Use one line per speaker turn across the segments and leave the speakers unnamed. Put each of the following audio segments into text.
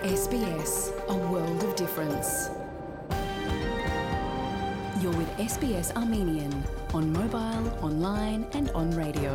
SBS, a world of difference. You're with SBS Armenian on mobile, online and on radio.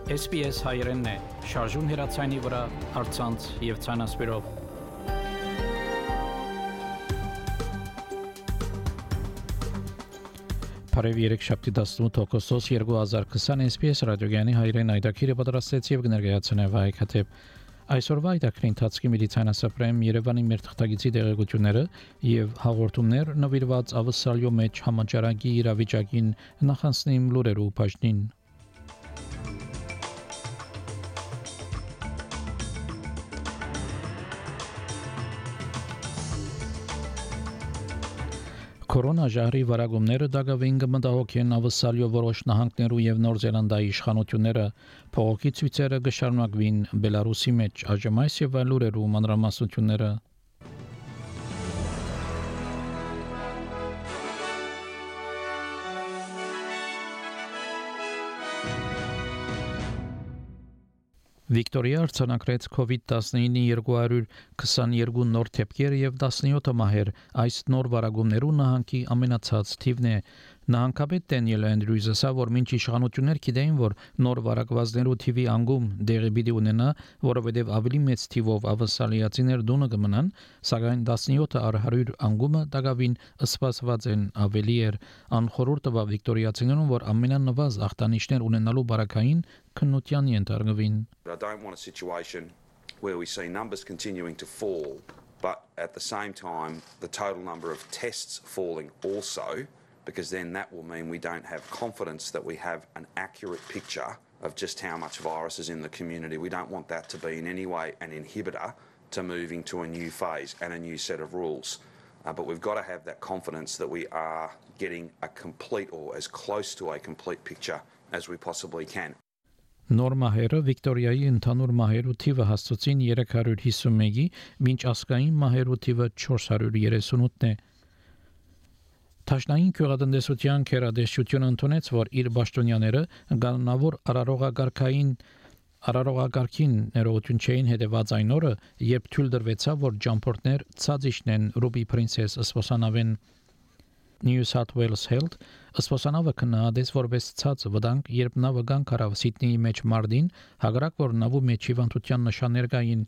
SBS հայերենն է, շարժուն հեռացայինի վրա, առցանց եւ ցանասպիրով։ Բարև երեքշաբթի 18 օգոստոս 2020 SBS ռադիոգյանի հայերեն այդակիրը պատրաստեց եւ կներկայացնե Վահե Քաթեփ։ Այսօրվա այդակրի ընթացքի Մեդիցինասապրեմ Երևանի մեր թղթակիցի տեղեկությունները եւ հաղորդումներ նվիրված ավսալյո մեջ համաճարակի իրավիճակին նախանցնիմ լուրերու բաժնին։ Կորոնաժահրի վարագումները դակավին կմտահոգ են ավսալյո որոշ նահանգներու եւ Նոր Զելանդիայի իշխանությունները փողոքի ցույցերը կշարունակվին Բելարուսի մեջ այժմ այս եւ այլ լուրերու մանրամասնությունները Վիկտորիա արձանագրեց COVID-19-ի 222 նոր դեպքեր եւ 17 մահեր այս նոր վարագումներու նահանգի ամենացած թիվն է Նահանգապետ Դենիել Անդրյուզը ասավ որ մինչ իշխանություններ գիտեին որ նոր վարակվածներու թիվի անգում դեղի պիտի ունենա որովհետեւ ավելի մեծ թիվով ավսալիացիներ դունը կմնան սակայն 17 առ 100 անգումը դակավին սպասված են ավելի էր անխորհուրդ տվավ վիկտորիացիներուն որ ամենանվազ ախտանիշներ ունենալու բարակային քննության ենթարկվին
I don't want a situation where we see numbers continuing to fall, but at the same time, the total number of tests falling also, because then that will mean we don't have confidence that we have an accurate picture of just how much virus is in the community. We don't want that to be in any way an inhibitor to moving to a new phase and a new set of rules. But we've got to have that confidence that we are getting a complete or as close to a complete picture as we possibly can.
Նոր մահերը Վիկտորիայի ընդհանուր մահերու թիվը հասցուցին 351-ի, մինչ ասկային մահերու թիվը 438-ն է։ Տաշնային քյուղատնտեսության քերադեսչությունը ընդունեց, որ իր պաշտոնյաները գաննավոր արարողակարգին ներողություն չէին հետևած այն օրը, երբ թույլ դրվեցավ, որ ջամփորդներ ցածիշնեն Ruby Princess սպոսանավեն New South Wales Health Սպոսանավը կնահատեց որպես ցած վտանգ, երբ նավը գանքարավ Սիդնեի մեջ մարտին, հակառակ որ նավու մեջ հիվանդության նշաններ կային,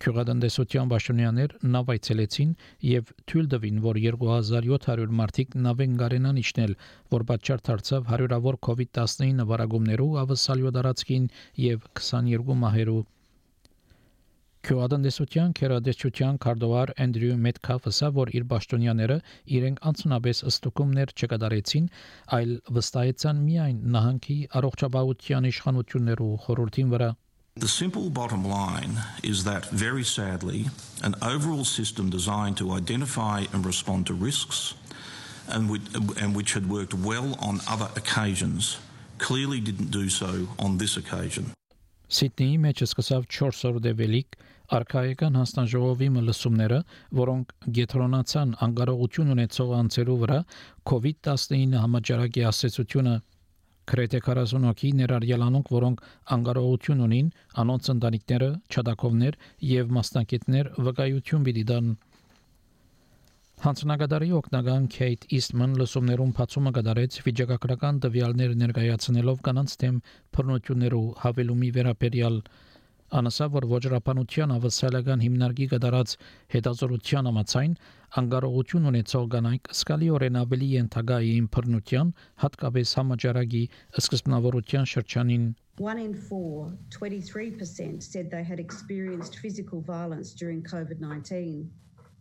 քյուղատնտեսության պաշտոնյաներ նավ այցելեցին եւ թույլ տվին, որ 2700 մարդիկ նավեն գարենան իջնել, որ պատճառ դարձավ հարյուրավոր COVID-19 վարագումներու ավսալյո դարածքին եւ 22 մահերու Քյուղատնտեսության քերադեսչության քարտուղար Անդրյու Մեթքաֆը ասավ, որ իր պաշտոնյաները իրենք անցնաբես ըստուկումներ չկատարեցին, այլ վստահեցան միայն նահանգի առողջապահության իշխանություններու խորհրդին վրա
The simple bottom line is that, very sadly, an overall system designed to identify and respond to risks and which had worked well on other occasions clearly didn't do so on this occasion.
Սիդնեի մեջ սկսավ 4 օր դեպելիք արքայական հանձնաժողովի մլսումները, որոնք գետրոնացան անկարողություն ունեցող անձերու վրա COVID-19 համաճարակի ասացությունը Քրեթե 40 հոգի ներառյալ անոնք, որոնք անկարողություն ունին, անոնց ընտանիքները, չադակովներ եւ մասնակիցներ վկայություն պիտի տան Հանցնագետարի օգնական Քեյթ Իստման լսումներում բացումը կատարեց վիճակագրական տվյալներ ներկայացնելով կանանց դեմ բռնություններու հավելումի վերաբերյալ անասավ որ ոչռապանության ավսալական հիմնարկի կատարած հետազոտության համաձայն անկարողություն ունեցող կանայք սկալիորեն ավելի ենթակա էին բռնության հատկապես համաճարակի սկզբնավորության շրջանին
1 in 4, 23% said they had experienced physical violence during COVID-19.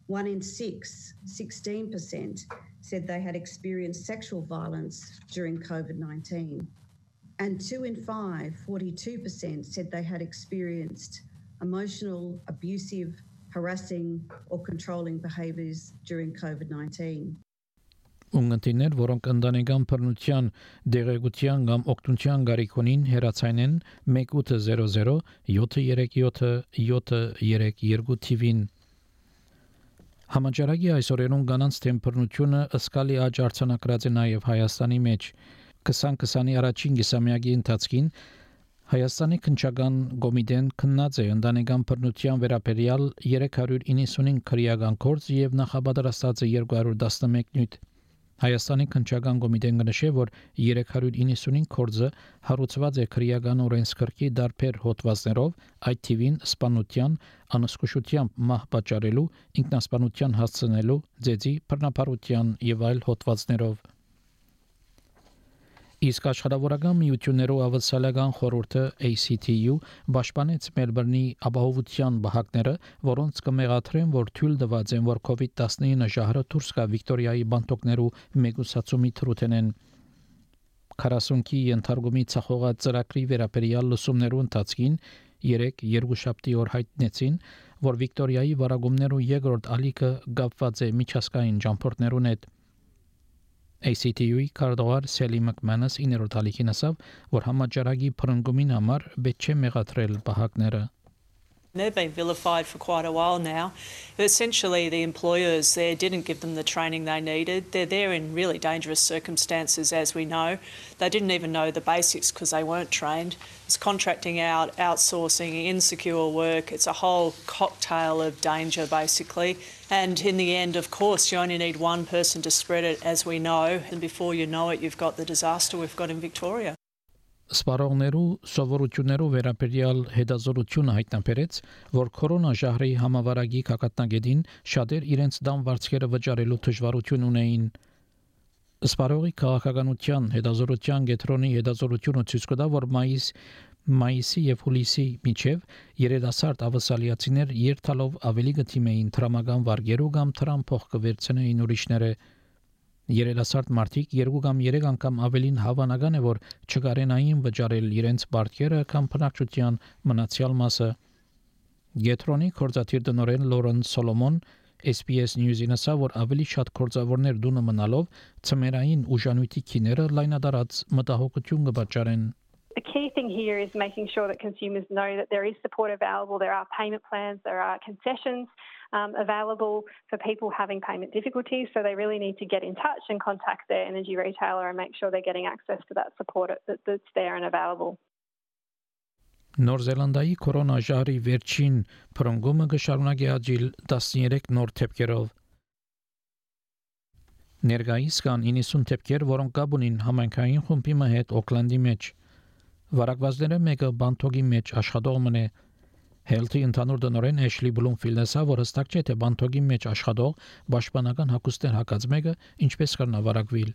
1 in 6, 16% said they had experienced sexual violence during COVID-19. And 2 in 5, 42% said they had experienced emotional, abusive, harassing or controlling behaviours during COVID-19.
Ունգընտիներ, որոնք ընտանեկան բռնության, դեղեցության կամ օգնության գարիք ունին, հեռացայինեն 1800 737 732 թիվին Համաճարակի այսօրերուն կանանց դեմ բռնությունը ըսկալի աճ արձանագրած է նաև Հայաստանի մեջ 2020-ի առաջին կիսամյակի ընթացքին Հայաստանի քննչական կոմիտեն քննած է ընտանեկան բռնության վերաբերյալ 395 քրեական գործ եւ նախապատրաստած է 211 նյութ։ Հայաստանի քննչական կոմիտեն կնշե, որ 395 գործը հարուցված է քրեական օրենսգրքի դարբեր հոդվածներով, այդ թիվին սպանության, անզգուշությամբ մահ պատճառելու, ինքնասպանության հասցնելու, ձեզի բռնապարության եւ այլ հոդվածներով։ Իսկ աշխարհավորական միություններով ավսալական խորհուրդը ACTU պաշտպանեց Մելբուրնի ապահովության բահակները, որոնց կմեղադրեն, որ թույլ տված են, որ COVID-19 ժահրը դուրս գա Վիկտորիայի բանտոկներու մեգուսացումի թրութենեն 40-ի ենթարկումի ցախողած ծրագրի վերաբերյալ լսումներու ընթացքին 2 օր հայտնեցին, որ Վիկտորիայի վարագումներու երկրորդ ալիքը կապված է միջազգային ճամփորդներուն հետ։ ACTU-ի քարտուղար Սելի Մակմանաս 9-րդ ալիքին ասավ, որ համաճարակի փրկումին համար պետք չէ մեղադրել բահակները։
They've been vilified for quite a while now. Essentially, the employers there didn't give them the training they needed. They're there in really dangerous circumstances, as we know. They didn't even know the basics because they weren't trained. It's contracting out, outsourcing, insecure work. It's a whole cocktail of danger, basically. And in the end, of course, you only need one person to spread it, as we know. And before you know it, you've got the disaster we've got in Victoria.
Սպառողներու սովորություններու վերաբերյալ հետազոտությունը հայտնաբերեց, որ կորոնա ժահրի համավարակի կակատնագետին շատեր իրենց դամ վարձքերը վճարելու դժվարություն ունեին։ Սպառողի քաղաքականության հետազոտության կենտրոնի հետազոտությունը ցույց կտա, որ մայիսի եւ հուլիսի միջև երիտասարդ ավասալիացիներ երթալով ավելի գտիմեին տրամական վարգերու կամ տրամ փող կվերցնեին ուրիշները։ Երիտասարդ մարդիկ 2 կամ 3 անգամ ավելին հավանական է, որ չկարենային վճարել իրենց բարձերը կամ բնակչության մնացյալ մասը։ Գետրոնի կորզաթիր տնօրեն Լորեն Սոլոմոն SBS News-ին ասավ, որ ավելի շատ կորզավորներ դունը մնալով ծմերային ուժանույթի քիները լայնադարած մտահոգություն կպատճառեն։
The key thing here is making sure that consumers know that there is support available, there are payment plans, there are concessions available for people having payment difficulties, so they really need to get in touch and contact their energy retailer and make sure they're getting access to that support that's there and available.
Նոր Զելանդիայի կորոնա ժահրի վերջին փրկումը կշարունակի աճել 13 նոր թեփքերով։ Ներկայիս կան 90 թեփքեր, որոնք կապ ունին համայնքային խումբի հետ Օքլանդի մեջ։ Վարակվածները մեկը բանտոկի մեջ աշխատող մնե։ Health-ի ընդհանուր տնօրեն Էշլի Բլումֆիլդը ասա, որ հստակ չէ, թե բանտոկի մեջ աշխատող պաշտպանական հագուստներ հակած մեկը ինչպես կրնա վարակվել։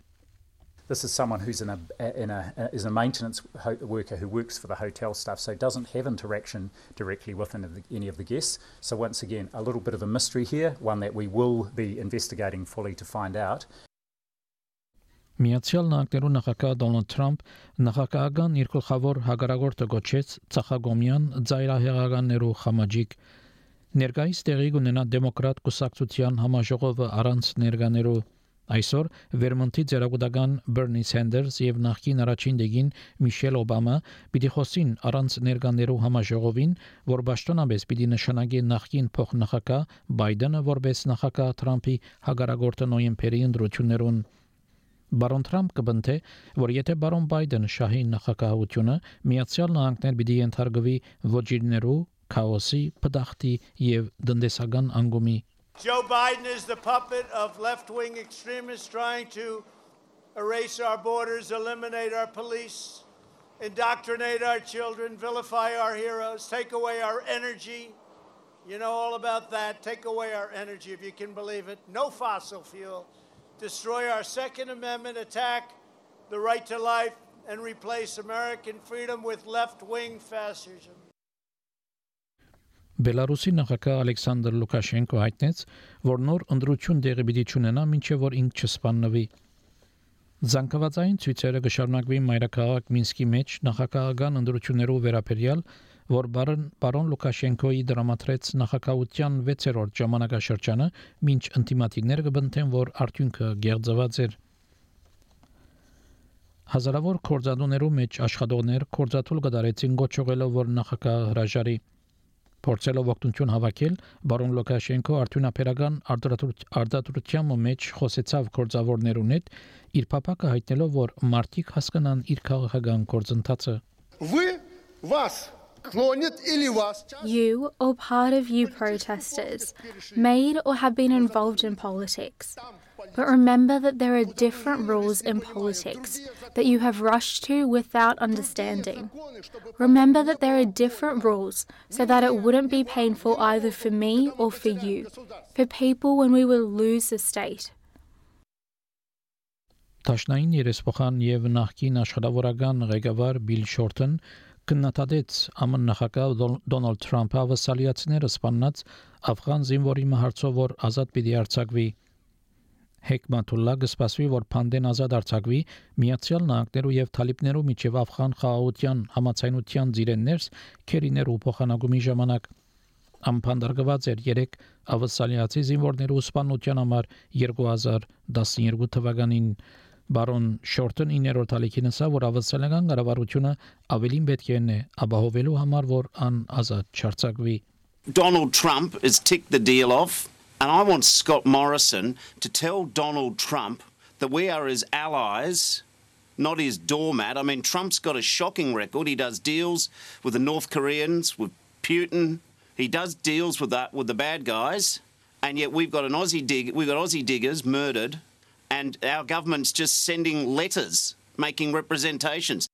This is someone who's is a maintenance worker who works for the hotel staff, so doesn't have interaction directly with any of the guests. So once again, a little bit of a mystery here, one that we will be investigating fully to find out.
Միացյալ Նահանգներու նախագահ Դոնալդ Թրամփ նախագահական իր գլխավոր հագարագործը գոչեց ցախագոմյան ծայրահեղականներու խմաճիկ։ Ներկայիս տեղի կունենա դեմոկրատ կուսակցության համաժողովը առանց ներկաներու։ Այսօր Վերմոնտի ձերագուտական Բերնի Սենդերս եւ նախկին առաջին դեգին Միշել Օբամա պիտի խոսին առանց ներկաներու համաժողովին, որ պաշտոնապես պիտի նշանակի նախկին փոխնախագահ Բայդենը որպես նախագահ Թրամփի հագարագործը նոյեմբերի ընտրություններուն։ Բարոն Թրամփ կբնթե, որ եթե բարոն Բայդեն շահի նախագահությունը Միացյալ Նահանգներ պիտի ենթարկվի ոչիրներու, քաոսի, փդախտի եւ դնդեսական անգումի։
Joe Biden is the puppet of left-wing extremists trying to erase our borders, eliminate our police, indoctrinate our children, vilify our heroes, take away our energy. You know all about that. Take away our energy, if you can believe it. No fossil fuel. Destroy our Second Amendment, attack the right to life, and replace American freedom with left-wing fascism.
Բելարուսի նախագահ Ալեքսանդր Լուկաշենկո հայտնեց, որ նոր ընտրություն տեղի պիտի ունենա, մինչև որ ինք չսպանվի։ Զանգվածային ցույցերը կշարունակվի մայրաքաղաք Մինսկի մեջ նախագահական ընտրություններով վերաբերյալ, որ բարոն Լուկաշենկոյի դրամատրեց նախագահության 6-րդ ժամանակաշրջանը, մինչ ինտիմատիվներ կբնթեն, որ արդյունքը գեղձված էր։ Հազարավոր կորզադուներու մեջ աշխատողներ կորզաթուլ կդարեցին գոչողելով, որ նախագահ հրաժարի։ Փորձելով օգնություն հավաքել, բարոն Լուկաշենկո արդյունաբերական արտադրության մեջ խոսեցավ կորզավորներուն հետ, իր փապակը հայտնելով, որ մարդիկ հասկանան իր քաղաքական գործընթացը։
Вы You or part of you protesters made or have been involved in politics. But remember that there are different rules in politics that you have rushed to without understanding. Remember that there are different rules so that it wouldn't be painful either for me or for you, for people when we will lose the state.
Տաշնային երեսփոխան եւ նախկին աշխարհավորական ղեկավար Բիլ Շորթն կննադեց ԱՄՆ նախագահ Դոնալդ Թրամփը ավասալիացիները սպանած աֆղան զինվորի մահացով որ ազատ պիտի արձակվի Հեկմաթուլլա գսպասվի որ Փանդեն ազատ արձակվի Միացյալ Նահանգներու եւ Թալիբներու միջև աֆղան խաղաղության համացայնության ծիրեններս քերիներու փոխանակումի ժամանակ ամփանդարգված էր 3 ավասալիացի զինվորներու սպանության համար 2012 թվականին Բարոն Շորթն 9-րդ ալիքին ասա որ ավասալական կառավարությունը ավելին պետք է նե ապահովելու համար որ ան ազատ չարձակվի
Donald Trump has ticked the deal off and I want Scott Morrison to tell Donald Trump that we are his allies not his doormat I mean Trump's got a shocking record he does deals with the North Koreans with Putin he does deals with the bad guys and yet we've got Aussie diggers murdered and our government's just sending letters, making representations.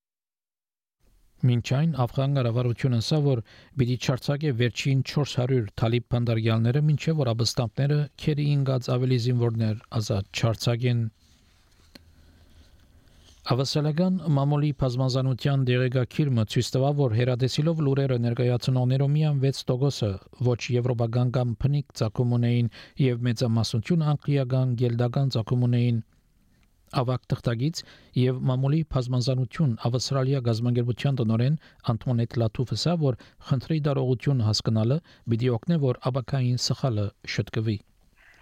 Մինչայն աֆղան կառավարությունը ասա որ պիտի չարձակե վերջին 400 թալիբ բանդարգյալները մինչև որ ապստամբները քերի ինգած ավելի զինվորներ ազատ չարձակեն Ավասալական մամուլի բազմազանության դեղեկագիրը ցույց տվավ, որ հերադեսիլով լուրերը ներկայացնողներով միայն 6%-ը ոչ եվրոպական կամ փնիկ ցակում ունեին եւ մեծամասնություն անգլիական գելդական ցակում ունեին ավակ թղթագից եւ մամուլի բազմազանություն ավստրալիա գազագերբության տնօրեն Անտոնետ Լաթուֆսը որ խնդրի դարողություն հասկանալը պիտի օգնի որ աբակային սխալը շտկվի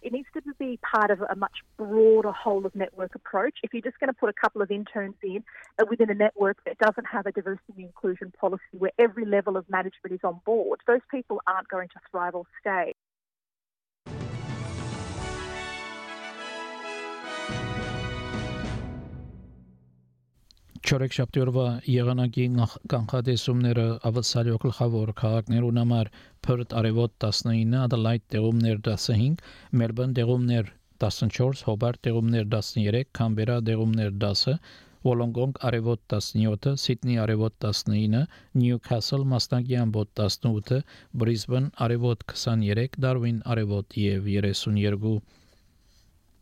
It needs to be part of a much broader whole-of-network approach. If you're just going to put a couple of interns in within a network that doesn't have a diversity and inclusion policy where every level of management is on board, those people aren't going to thrive or stay.
Չորեքշաբթի եղանակի կանխատեսումները ավասալյո գլխավոր քաղաքներուն համար Perth արևոտ 19, Adelaide տեղումներ 15, Melbourne տեղումներ 14, Hobart տեղումներ 13, Canberra տեղումներ 10, Wollongong արևոտ 17, Sydney արևոտ 19, Newcastle մասնակի ամբոտ 18, Brisbane արևոտ 23, Darwin արևոտ եւ 32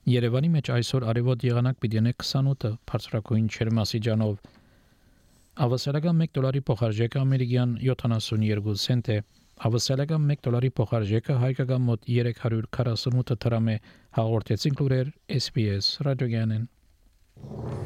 Երևանի մեջ այսօր արևոտ եղանակ պիտի ունենա 28 բարձրակույն ջերմաստիճանով Ավասալական $1 փոխարժեքը ամերիկյան 72 سنت է Ավասալական $1 փոխարժեքը հայկական մոտ 348 դրամ է հաղորդեցին լուրեր SPS ռադիոգյանեն